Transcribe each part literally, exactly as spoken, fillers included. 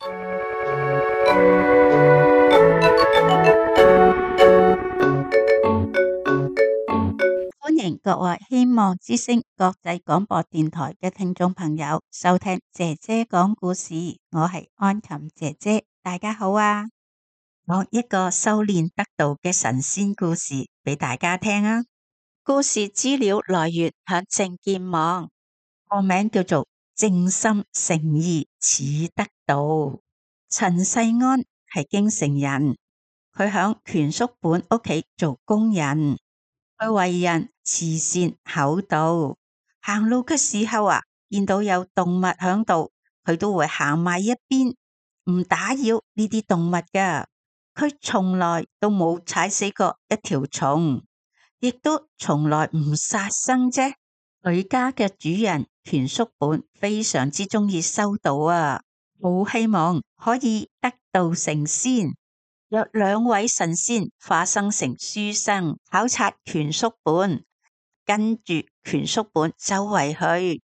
歡迎各位希望之聲國際廣播電台嘅聽眾朋友收聽姐姐講故事，我係安琴姐姐，大家好啊！講一個修煉得道嘅神仙故事俾大家聽啊！故事資料來源響正見網，個名叫做正心誠意始得道。陳世安係京城人，佢響權叔本屋企做工人。佢為人慈善厚道，行路嘅時候啊，見到有動物響度，佢都會行埋一邊，唔打擾呢啲動物噶。佢從來都冇踩死過一條蟲，亦都從來唔殺生啫。佢家嘅主人權叔本非常之中意修道啊，好希望可以得道成仙。有兩位神仙化身成書生考察權叔本，跟住權叔本周圍去，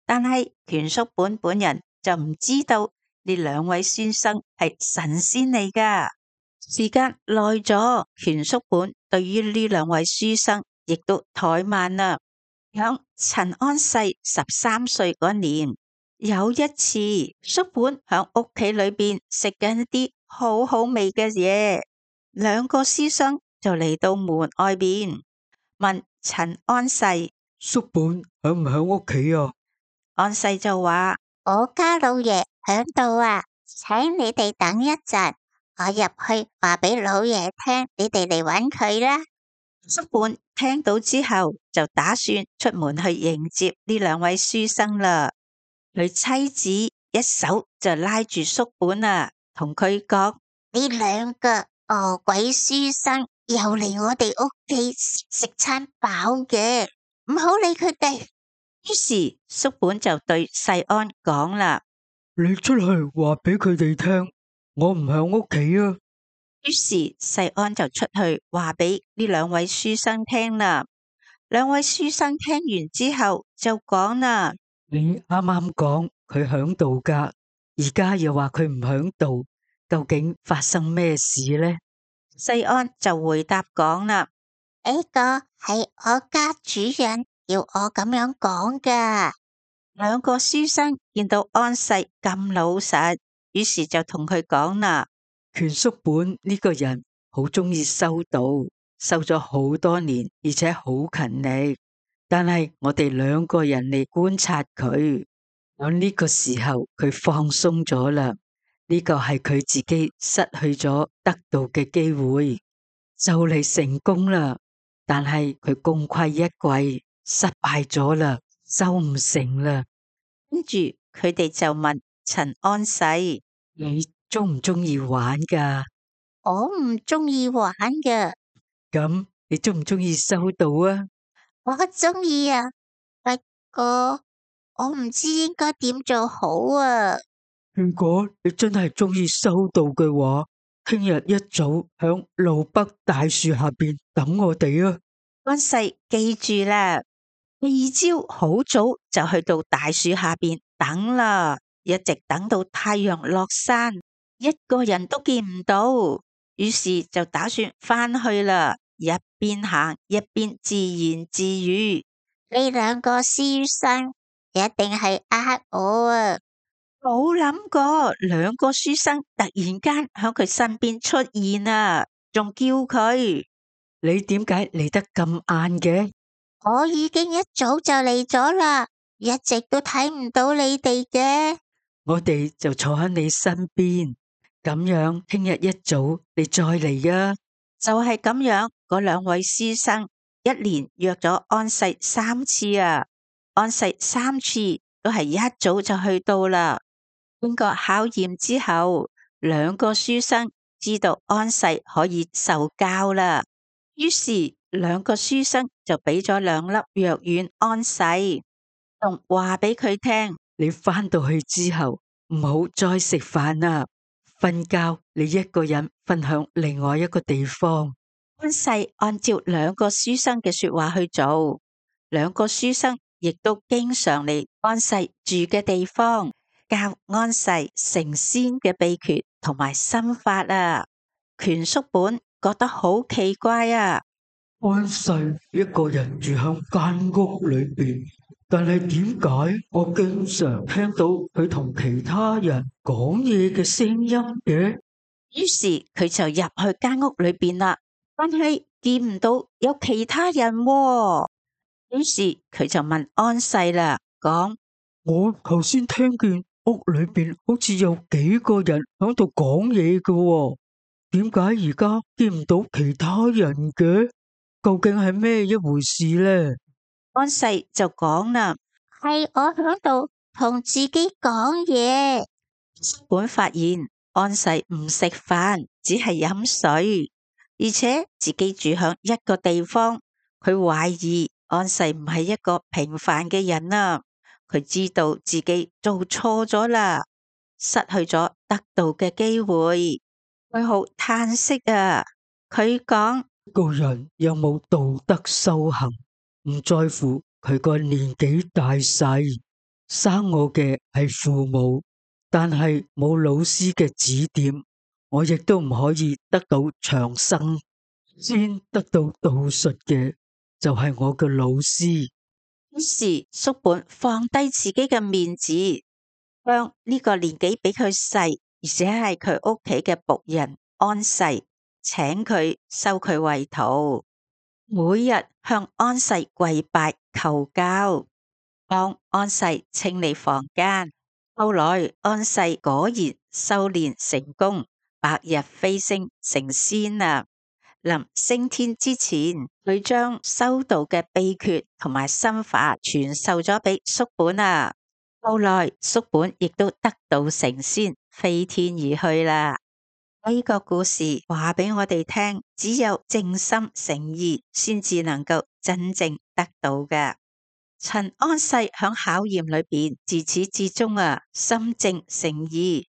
但係權叔本本人就唔知道呢兩位書生係神仙嚟噶。時間耐咗，權叔本對於呢兩位書生亦都怠慢啦。響陳安世十三歲嗰年，有一次叔本響屋企裏邊食緊一啲好好味嘅嘢，兩個師生就嚟到門外邊問陳安世：叔本響唔響屋企啊？安世就話：我家老爺響度啊，請你哋等一陣，我入去話俾老爺聽，你哋嚟搵佢啦。叔本聽到之後就打算出門去迎接呢兩位書生啦。佢妻子一手就拉住叔本啊，同佢講：呢兩個餓鬼書生又嚟我哋屋企食餐飽嘅，唔好理佢哋。於是叔本就對世安講啦：你出去話俾佢哋聽，我唔響屋企啊。於是世安就出去話俾呢兩位書生聽啦。兩位書生聽完之後就講啦：你啱啱講佢響度噶，而家又話佢唔響度，究竟發生咩事呢？世安就回答講啦：呢個係我家主人要我咁樣講噶。兩個書生見到安世咁老實，於是就同佢講啦：權叔本呢個人好中意修道，修咗好多年，而且好勤力。但係我哋兩個人嚟觀察佢，喺呢個時候佢放鬆咗啦。呢個係佢自己失去咗得道嘅機會，就嚟成功啦。但係佢功虧一簣，失敗咗啦，修唔成啦。跟住佢哋就問陳安世：你中唔中意玩噶？我唔中意玩嘅。咁你中唔中意修道啊？我中意啊，不過我唔知應該點做好啊。如果你真係中意修道嘅話，聽日一早響路北大樹下邊等我哋啊！安世記住啦，第二朝好早就去到大樹下邊等啦，一直等到太陽落山，一個人都見唔到，於是就打算翻去啦。一邊行一邊自言自語：呢兩個書生一定係呃我啊！冇諗過兩個書生突然間喺佢身邊出現啊，仲叫佢：你點解嚟得咁晏嘅？我已經一早就嚟咗啦，一直都睇唔到你哋嘅。我哋就坐喺你身邊，咁樣聽日一早你再嚟啊！就係咁樣，嗰兩位師生一連約咗安世三次啊，安世三次都係一早就去到啦。經過考驗之後，兩個書生知道安世可以受教啦，於是兩個書生就俾咗兩粒藥丸安世，仲話俾佢聽：你翻到去之後唔好再食飯啦，瞓覺你一個人瞓響另外一個地方。安世按照兩個書生嘅說話去做，兩個書生亦都經常嚟安世住嘅地方。教安世成仙嘅秘訣同埋心法啊。權叔本覺得好奇怪啊！安世一個人住響間屋裏邊，但係點解我經常聽到佢同其他人講嘢嘅聲音嘅？於是佢就入去間屋裏邊啦，但係見唔到有其他人喎。於是佢就問安世啦，講：我頭先聽見屋裏邊好似有幾個人響度講嘢嘅喎，點解而家見唔到其他人嘅？究竟係咩一回事呢？安世就講啦：係我響度同自己講嘢。叔本發現安世唔食飯，只係飲水，而且自己住響一個地方，佢懷疑安世唔係一個平凡嘅人啊！佢知道自己做錯咗啦，失去咗得道嘅機會，佢好嘆息啊！佢講：個人有冇道德修行，唔在乎佢個年紀大細，生我嘅係父母，但係冇老師嘅指點，我亦都唔可以得到長生。先得到道術嘅就係我嘅老師。於是叔本放低自己嘅面子，向呢個年紀比佢細，而且係佢屋企嘅僕人安世，請佢收佢為徒，每日向安世跪拜求教，幫安世清理房間。後來安世果然修煉成功，白日飛升成仙啦。臨升天之前，佢將修道嘅秘訣同埋心法傳授咗俾叔本啊。後來叔本亦都得道成仙，飛天而去啦。呢個故事話俾我哋聽，只有正心誠意，先至能夠真正得到嘅。陳安世響考驗裏邊，自始至終啊，心正誠意，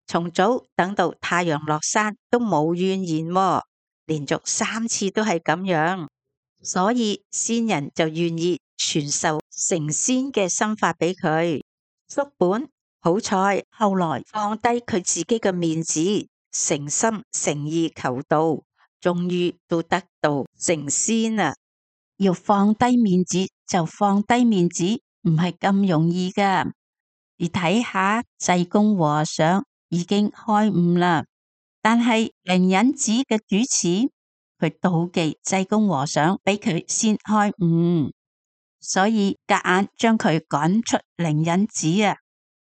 從早等到太陽落山都冇怨言喎。連續三次都係咁樣，所以仙人就願意傳授成仙嘅心法俾佢。叔本好彩，後來放低佢自己嘅面子，誠心誠意求道，終於都得道成仙啦。要放低面子就放低面子，唔係咁容易噶。而睇下濟公和尚已經開悟啦。但係靈隱寺嘅主持，佢妒忌濟公和尚比佢先開悟，所以夾硬將佢趕出靈隱寺啊！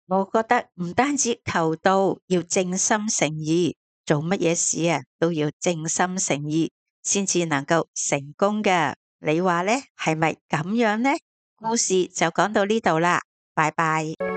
我覺得唔單止求道要正心誠意，做乜嘢事啊都要正心誠意，先至能夠成功嘅。你話呢？係咪咁樣呢？故事就講到呢度啦，拜拜。